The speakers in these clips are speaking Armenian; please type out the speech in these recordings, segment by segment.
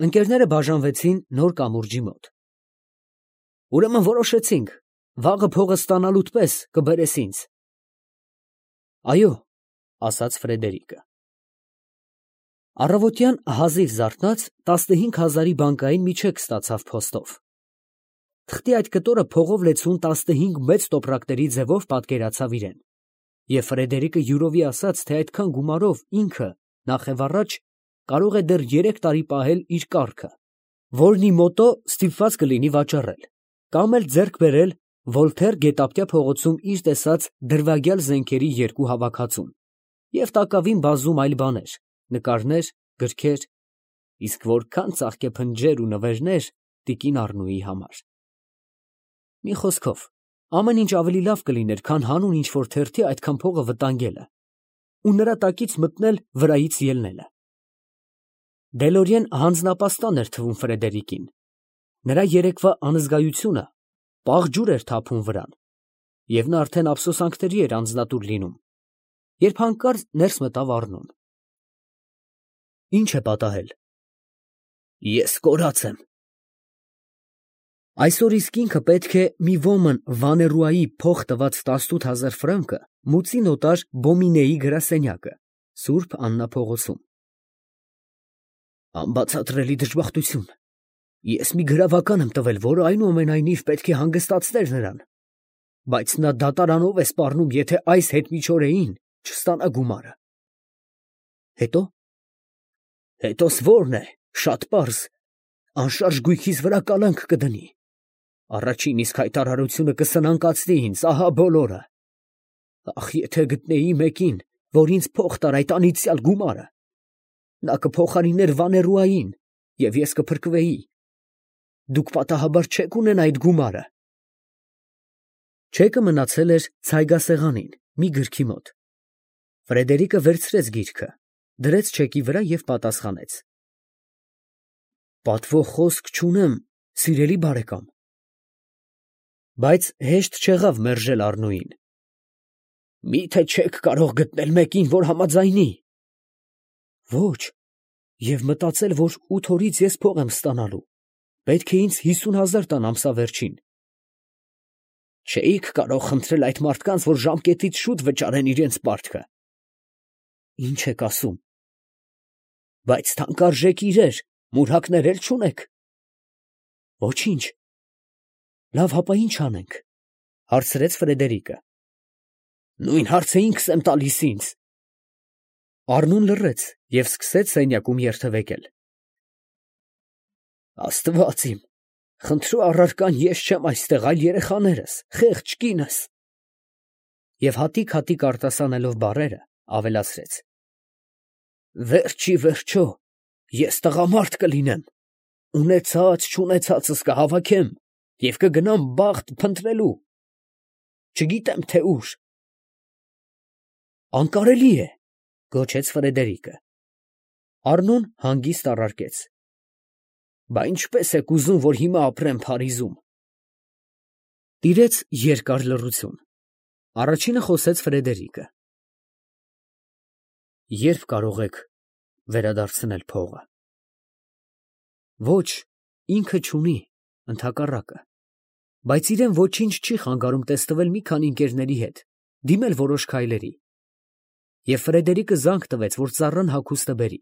Ընկերները բաժանվեցին նոր կամուրջի մոտ։ Ուրեմն որոշեցինք, վաղը փողը ստանալուդ պես կբերես ինձ։ Այո, ասաց Ֆրեդերիկը։ Առավոտյան հազիվ զարթնած 15,000-ի բանկային մի չեք ստացավ փոստով։ Թղթի այդ կտորը փողով լեցուն 15 մեծ տոպրակների ձևով պատկերացավ իրեն, և Ֆրեդերիկը յուրովի ասաց, թե այդքան գումարով ինքը, նախևառաջ, կարող է դեռ 3 տարի պահել իր կառքը, որն իմոտո ստիպված կլինի վաճառել, կամ էլ ձեռք բերել Վոլթեր գետափտյա փողոցում իր տեսած դրվագյալ զենքերի 2 հավաքածուն և տակավին բազում այլ բաներ, նկարներ, գրքեր, իսկ որքան ծաղկեփնջեր ու նվերներ տիկին Առնուի համար։ Մի խոսքով, ամեն ինչ ավելի լավ կլիներ, քան հանուն ինչ-որ թերթի այդքան փողը վտանգելը ու նրա տակից մտնել վրայից ելնելը։ Դելորիեն հանձնապաստան էր թվում Ֆրեդերիկին։ Նրա երեկվա անզգայությունը պաղ ջուր էր թափում վրան, և նա արդեն ափսոսանքների էր անձնատուր լինում, երբ հանկարծ ներս մտավ Առնուն։ Ի՞նչ է պատահել։ Ես կորած եմ։ Այսօր իսկ ինքը պետք է մի ոմն Վաներուայի փող տված 18,000 ֆրանկը մուծի նոտար Բոմինեի գրասենյակը, Սուրբ Աննա փողոցում։ Անբացատրելի դժբախտություն։ Ես մի գրավական եմ տվել, որը այնուամենայնիվ պետք է հանգստացներ նրան, բայց նա դատարանով է սպառնում, եթե այս հետմիջօրեին չստանա գումարը։ Հետո։ Հետոս որն է, շատ պարզ, անշարժ գույքիս վրա կալանք կդնի։ Առաջին իսկ հայտարարությունը կսնանկացնի ինձ, ահա բոլորը։ Ախ, եթե գտնեի մեկին, որ ինձ փող տար այդ անիծյալ գումարը, նա կփոխարիներ Վաներուային, և ես կփրկվեի։ Դուք պատահաբար չեք ունենա այդ գումարը։ Չեկը մնացել էր ցայգասեղանին, մի գրքի մոտ։ Ֆրեդերիկը վերցրեց գիրքը, դրեց չեկի վրա և պատասխանեց. Պատվո խոսք չունեմ, սիրելի բարեկամ։ Բայց հեշտ չեղավ մերժել Առնուին։ Մի՞թե չեք կարող գտնել մեկին, որ համաձայնի։ Ոչ, և մտածել, որ 8 օրից ես փող եմ ստանալու, պետք է ինձ 50,000 տան ամսավերջին։ Չէիք կարող խնդրել այդ մարդկանց, որ ժամկետից շուտ վճարեն իրենց պարտքը։ Ինչ եք ասում։ Բայց թանկարժեք իրեր, մուրհակներ էլ չունեք։ Ոչինչ։ Լավ, հապա ի՞նչ անենք, հարցրեց Ֆրեդերիկը։ Նույն հարցը ինքս եմ տալիս ինձ։ Առնուն լռեց և սկսեց սենյակում երթևեկել։ Աստված իմ, խնդրու առարկան ես չեմ այստեղ, այլ երեխաներս, խեղճ կինս։ Եվ հատիկ արտասանելով բառերը, ավելացրեց. Վերջ ի վերջո, ես տղամարդ կլինեմ, ունեցած-չունեցածս կհավաքեմ և կգնամ բախտ փնտրելու, չգիտեմ թե ուր։ Անկարելի է, գոչեց Ֆրեդերիկը։ Առնուն հանգիստ առարկեց. Բա ինչպես եք ուզում, որ հիմա ապրեմ Փարիզում։ Տիրեց երկար լռություն։ Առաջինը խոսեց Ֆրեդերիկը. Երբ կարող եք վերադարձնել փողը։ Ոչ, ինքը չունի, ընդհակառակը, բայց իրեն ոչինչ չի խանգարում տեսնվել մի քանի ընկերների հետ, դիմել որոշ քայլերի։ Եվ Ֆրեդերիկը զանգ տվեց, որ ծառան հագուստը բերի։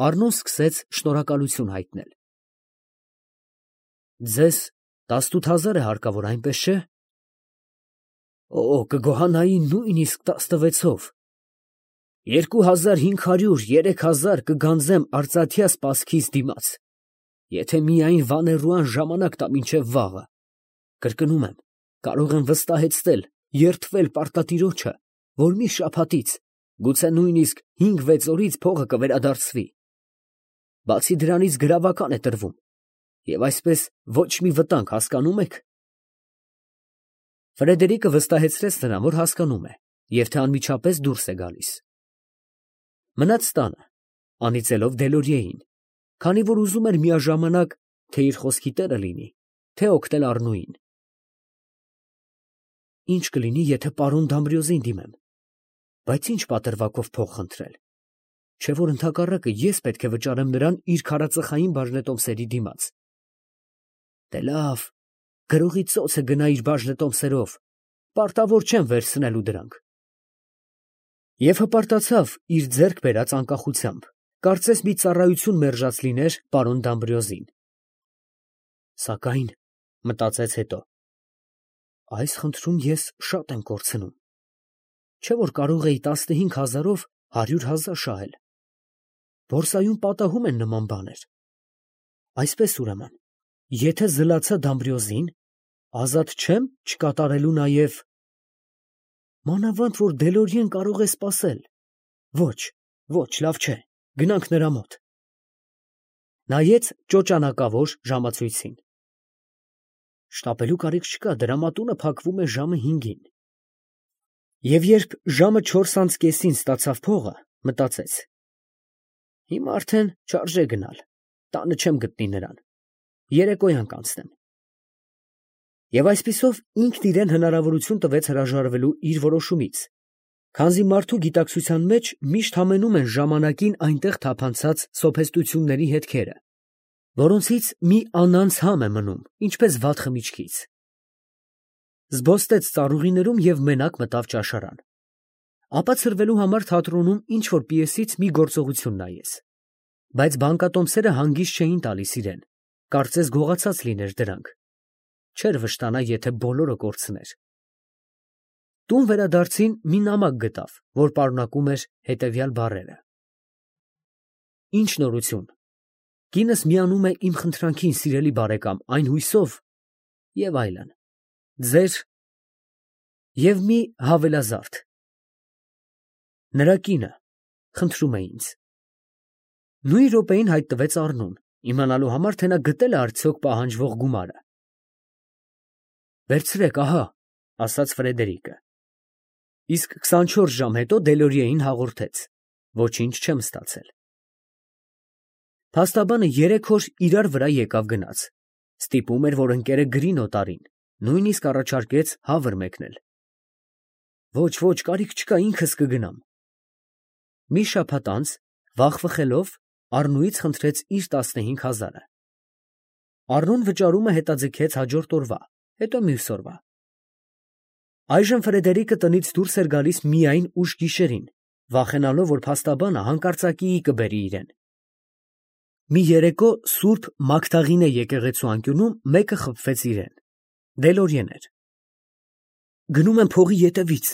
Առնուն սկսեց շնորհակալություն հայտնել։ Ձեզ 18,000 է հարկավոր, այնպես չէ։ Օ, կգոհանայի նույնիսկ 16-ով։ 2,500, 3,000 կգանձեմ արծաթյա սպասքիս դիմաց, եթե միայն Վաներուան ժամանակ տա մինչև վաղը։ Կրկնում եմ, կարող եմ վստահեցնել, երդվել պարտատիրոջը, որ մի շաբաթից, գուցե նույնիսկ 5-6 օրից փողը կվերադարձվի։ Բացի դրանից գրավական է տրվում, և այսպես ոչ մի վտանգ, հասկանում եք։ Ֆրեդերիկը վստահեցրեց նրան, որ հասկանում է, և թե անմիջապես դուրս է գալիս։ Մնաց տանը, անիծելով Դելորիեին, քանի որ ուզում էր միաժամանակ թե իր խոսքի տերը լինի, թե օգնել Առնուին։ Ինչ կլինի, եթե պարոն Դամբրիոզին դիմեմ, բայց ինչ պատրվակով փող խնդրել։ Չէ որ ընդհակառակը ես պետք է վճարեմ նրան իր քարածխային բաժնետոմսերի դիմաց։ Դե լավ, գրողի ծոցը գնա իր բաժնետոմսերով, պարտավոր չեմ վերցնելու դրանք։ Եվ հպարտացավ իր ձեռք բերած անկախությամբ, կարծես մի ծառայություն մերժած լիներ պարոն Դամբրիոզին։ Սակայն, մտածեց հետո, այս խնդրում ես շատ եմ կորցնում։ Չէ որ կարող էի 15,000-ով 100,000 շահել։ Բորսայում պատահում են նման բաներ։ Այսպես ուրեմն, եթե զլացա Դամբրիոզին, ազատ չեմ չկատարելու նաև… Մանավանդ որ Դելորիեն կարող է սպասել։ Ոչ, ոչ, լավ չէ, գնանք նրա մոտ։ Նայեց ճոճանակավոր ժամացույցին։ Շտապելու կարիք չկա, դրամատունը փակվում է ժամը 5-ին։ Եվ երբ ժամը 4:30-ին ստացավ փողը, մտածեց. հիմա արդեն չարժե գնալ, տանը չեմ գտնի նրան, երեկոյան կանցնեմ։ Եվ այսպիսով ինքն իրեն հնարավորություն տվեց հրաժարվելու իր որոշումից, քանզի մարդու գիտակցության մեջ միշտ համենում են ժամանակին այնտեղ թափանցած սոփեստությունների հետքերը, որոնցից մի անանց համ է մնում, ինչպես վատ խմիչքից։ Զբոստեց ծառուղիներում և մենակ մտավ ճաշարան։ Ապա ցրվելու համար թատրոնում ինչ-որ պիեսից մի գործողություն նայեց։ Բայց բանկատոմսերը հանգիստ չէին տալիս իրեն, կարծես գողացած լիներ դրանք։ Չէր վշտանա, եթե բոլորը կորցներ։ Տուն վերադարձին մի նամակ գտավ, որ պարունակում էր հետևյալ բառերը. Ինչ նորություն։ Կինս միանում է իմ խնդրանքին, սիրելի բարեկամ, այն հույսով… և այլն։ Ձեր… և մի հավելազարդ. նրա կինը խնդրում է ինձ։ Նույն րոպեին հայտնվեց Առնուն, իմանալու համար, թե նա գտել է արդյոք պահանջվող գումարը։ Վերցրեք, ահա, ասաց Ֆրեդերիկը։ Իսկ 24 ժամ հետո Դելորիեին հաղորդեց. ոչինչ չեմ ստացել։ Փաստաբանը 3 օր իրար վրա եկավ գնաց։ Ստիպում էր, որ ընկերը գրի նոտարին, նույնիսկ առաջարկեց հավր մեկնել։ Ոչ, ոչ, կարիք չկա, ինքս կգնամ։ Մի շաբաթ անց, վախվխելով, Առնուից խնդրեց իր 15,000-ը։ Առնուն վճարումը հետաձգեց հաջորդ օրվա, հետո մյուս օրվա։ Այժմ Ֆրեդերիկը տնից դուրս էր գալիս միայն ուշ գիշերին, վախենալով, որ փաստաբանը հանկարծակիի կբերի իրեն։ Մի երեկո Սուրբ Մագդաղինե եկեղեցու անկյունում մեկը խփվեց իրեն։ Դելորիեն էր։ Գնում եմ փողի ետևից,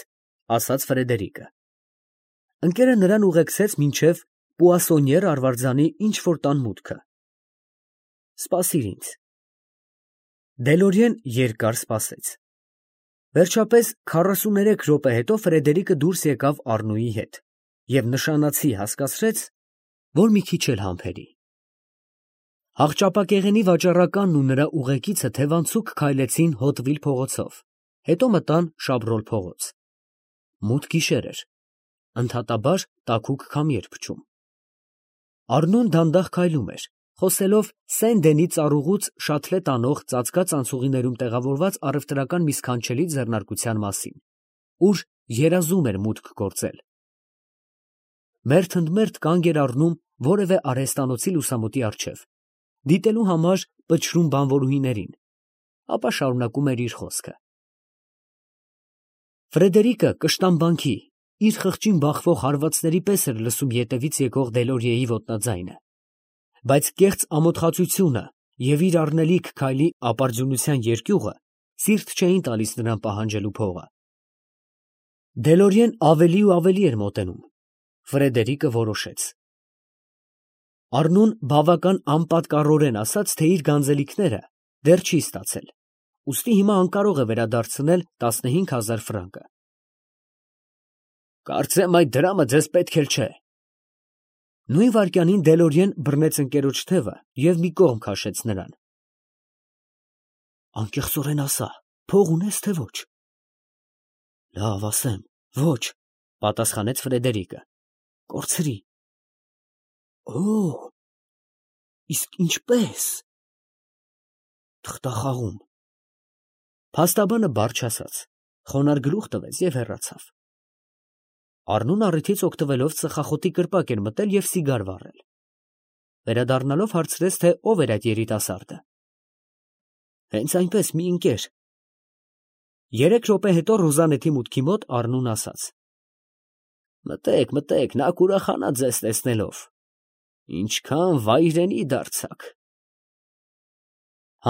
ասաց Ֆրեդերիկը։ Ընկերը նրան ուղեկցեց մինչև Պուասոնիեր արվարձանի ինչ-որ տան մուտքը։ Սպասիր ինձ։ Դելորիեն երկար սպասեց։ Վերջապես 43 րոպե հետո Ֆրեդերիկը դուրս եկավ Առնուի հետ և նշանացի հասկացրեց, որ մի քիչ էլ համբերի։ Հաղճապակեղենի վաճառականն ու նրա ուղեկիցը թևանցուկ քայլեցին Հոտվիլ փողոցով, հետո մտան Շաբրոլ փողոց։ Մութ գիշեր էր, ընդհատաբար տաքուկ քամի էր փչում։ Առնուն դանդաղ քայլում էր, խոսելով Սեն֊Դենի ծառուղուց շաթլե տանող ծածկած անցուղիներում տեղավորված առևտրական մի սքանչելի ձեռնարկության մասին, ուր երազում էր մուտք գործել։ Մերթ ընդ մերթ կանգ էր առնում որևէ արհեստանոցի լուսամուտի առջև, դիտելու համար պչրուն բանվորուհիներին, ապա շարունակում էր իր խոսքը։ Ֆրեդերիկը կշտամբանքի, իր խղճին բախվող հարվածների պես էր լսում ետևից եկող Դելորիեի ոտնաձայնը, բայց կեղծ ամոթխածությունը և իր առնելիք քայլի ապարդյունության երկյուղը սիրտ չէին տալիս նրան պահանջելու փողը։ Դելորիեն ավելի ու ավելի էր մոտենում։ Ֆրեդերիկը որոշեց։ Առնուն բավական անպատկառորեն ասաց, թե իր գանձելիքները դեռ չի ստացել, ուստի հիմա անկարող է վերադարձնել 15,000 ֆրանկը։ Կարծեմ այդ դրամը ձեզ պետք էլ չէ։ Նույն վայրկյանին Դելորիեն բռնեց ընկերոջ թևը և մի կողմ քաշեց նրան։ Անկեղծորեն ասա, փող ունես թե ոչ։ Լավ, ասեմ, ոչ, պատասխանեց Ֆրեդերիկը։ Կորցրի։ Օ, իսկ ինչպես։ Թղթախաղում։ Փաստաբանը բառ չասաց, խոնարհ գլուխ տվեց և հեռացավ։ Առնուն առիթից օգտվելով ծխախոտի կրպակ էր մտել և սիգար վառել։ Վերադառնալով հարցրեց, թե ով էր այդ երիտասարդը։ Հենց այնպես մի ընկեր։ 3 րոպե հետո Ռուզանեթի մուտքի մոտ Առնուն ասաց. Մտեք, մտեք, նա կուրախանա ձեզ տեսնելով։ Ինչքան վայրենի դարձաք։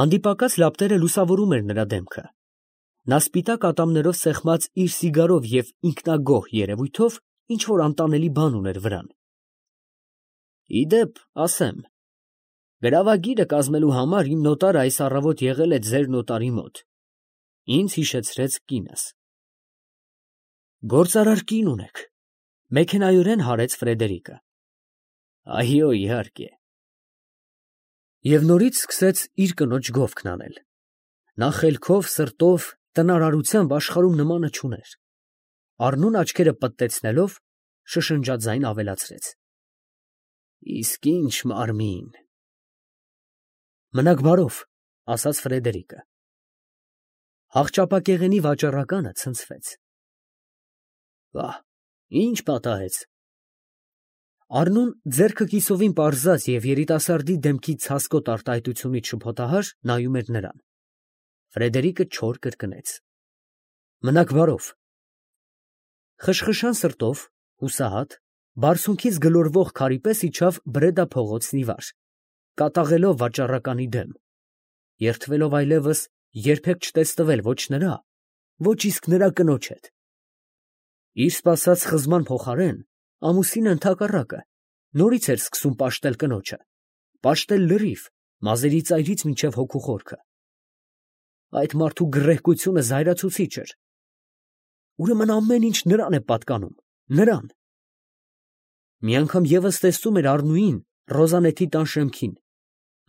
Հանդիպակաց լապտերը լուսավորում էր նրա դեմքը։ Նա սպիտակ ատամներով սեղմած իր սիգարով և ինքնագոհ երևույթով ինչ-որ անտանելի բան ուներ վրան։ Իդեպ, ասեմ, գրավագիրը կազմելու համար իմ նոտարը այս առավոտ եղել է ձեր նոտարի մոտ։ Ինձ հիշեցրեց կինս։ Գործարար կին ունեք, մեքենայորեն հարեց Ֆրեդերիկը։ Այո, իհարկե։ Եվ նորից սկսեց իր կնոջ գովքն անել։ Նա խելքով, սրտով, տնարարությամբ աշխարհում նմանը չուներ։ Առնուն աչքերը պտտեցնելով, շշնջաձայն ավելացրեց. Իսկ ինչ մարմին։ Մնաք բարով, ասաց Ֆրեդերիկը։ Հաղճապակեղենի վաճառականը ցնցվեց։ Վա, ինչ պատահեց։ Առնուն ձեռքը կիսովին պարզած և երիտասարդի դեմքի ցասկոտ արտահայտությունից շփոթահար նայում էր նրան։ Ֆրեդերիկը չոր կրկնեց. Մնաք բարով։ Խշխշան սրտով, հուսահատ, բարձունքից գլորվող քարի պես իջավ Բրեդա փողոցն ի վար, կատաղելով վաճառականի դեմ, երդվելով այլևս երբեք չտեսնվել ոչ նրա, ոչ իսկ նրա կնոջ հետ։ Իր սպասած խզման փոխարեն ամուսինը ընդհակառակը նորից էր սկսում պաշտել կնոջը, պաշտել լրիվ, մազերի ծայրից մինչև հոգու խորքը։ Այդ մարդու գռեհկությունը զայրացուցիչ էր։ Ուրեմն ամեն ինչ նրան է պատկանում, նրան։ Մի անգամ ևս տեսնում էր Առնուին Ռոզանեթի տան շեմքին,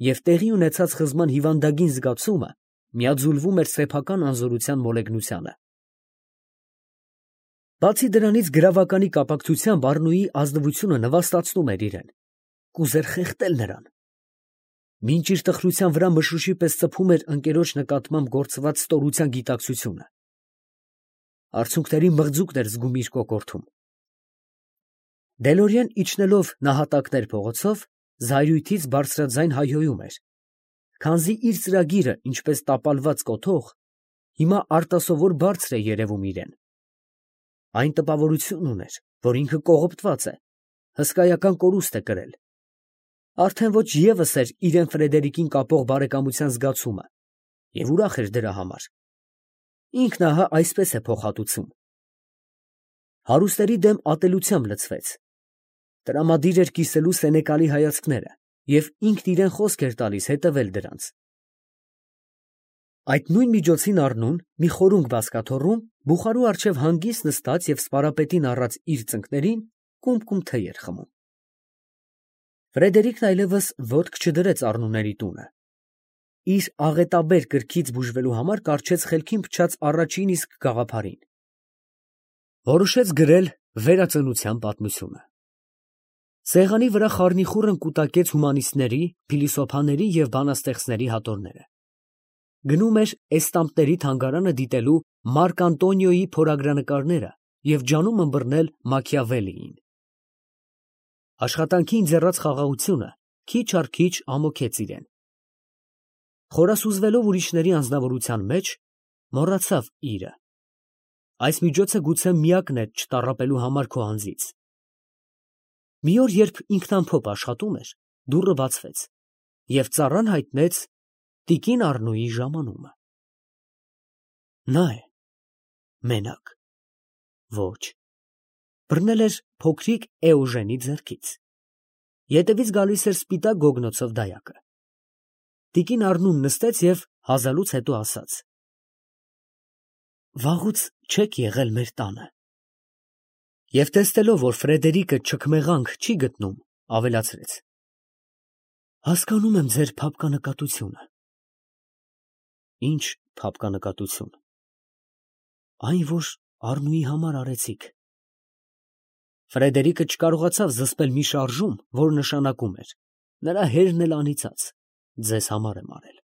և տեղի ունեցած խզման հիվանդագին զգացումը միաձուլվում էր սեփական անզորության մոլեգնությանը։ Բացի դրանից գրավականի կապակցությամբ Առնուի ազնվությունը նվաստացնում էր իրեն, կուզեր խեղդել նրան։ Մինչ իր տխրության վրա մշուշի պես ծփում էր ընկերոջ նկատմամբ գործված ստորության գիտակցությունը։ Արցունքների մղձուկն էր զգում իր կոկորդում։ Դելորիան իջնելով նահատակներ փողոցով, զայրույթից բարձրաձայն հայհոյում էր, քանզի իր ծրագիրը, ինչպես տապալված կոթող, հիմա արտասովոր բարձր է երևում իրեն։ Այն տպավորություն ուներ, որ ինքը կողոպտված է, հսկայական կորուստ է կրել։ Արդեն ոչ ևս էր իրեն Ֆրեդերիկին կապող բարեկամության զգացումը, և ուրախ էր դրա համար։ Ինքն ահա այսպես է փոխհատուցում։ Հարուստերի դեմ ատելությամբ լցվեց։ Տրամադիր էր կիսելու սենեկալի հայացքները, և ինքն իրեն խոսք էր տալիս հետևել դրանց։ Այդ նույն միջոցին Առնուն, մի խորունգ բազկաթոռում, բուխարու առջև հանգիստ նստած և սպարապետին առած իր ծնկներին, կումկում թեյ էր խմում։ Ֆրեդերիկն այլևս ոտք չդրեց Առնուների տունը։ Իր աղետաբեր կրքից բուժվելու համար կառչեց խելքին փչած առաջին իսկ գաղափարին։ Որոշեց գրել վերածնության պատմությունը։ Սեղանի վրա խառնիխուռն կուտակեց հումանիստների, փիլիսոփաների և բանաստեղծների հատորները։ Գնում էր էստամպների թանգարանը դիտելու Մարկ Անտոնիոյի փորագրանկարները և ջանում ըմբռնել Մաքիավելիին։ Աշխատանքի ընձեռած խաղաղությունը քիչ առ քիչ ամոքեց իրեն։ Խորասուզվելով ուրիշների անձնավորության մեջ, մոռացավ իրը։ Այս միջոցը գուցե միակն էր չտառապելու համար քո անձից։ Մի օր, երբ ինքնամփոփ աշխատում էր, դուռը բացվեց, և ծառան հայտնեց տիկին Առնուի ժամանումը։ Նա է, մենակ։ Ոչ, բռնել էր փոքրիկ Էոժենի ձեռքից։ Ետևից գալիս էր սպիտակ գոգնոցով դայակը։ Տիկին Առնուն նստեց և հազալուց հետո ասաց. Վաղուց չեք եղել մեր տանը։ Եվ տեսնելով, որ Ֆրեդերիկը չքմեղանք չի գտնում, ավելացրեց. Հասկանում եմ ձեր փափկանկատությունը։ Ինչ փափկանկատություն։ Այն, որ Առնուի համար արեցիք։ Ֆրեդերիկը չկարողացավ զսպել մի շարժում, որ նշանակում էր. նրա հերն էլ անիծած, ձեզ համար եմ արել։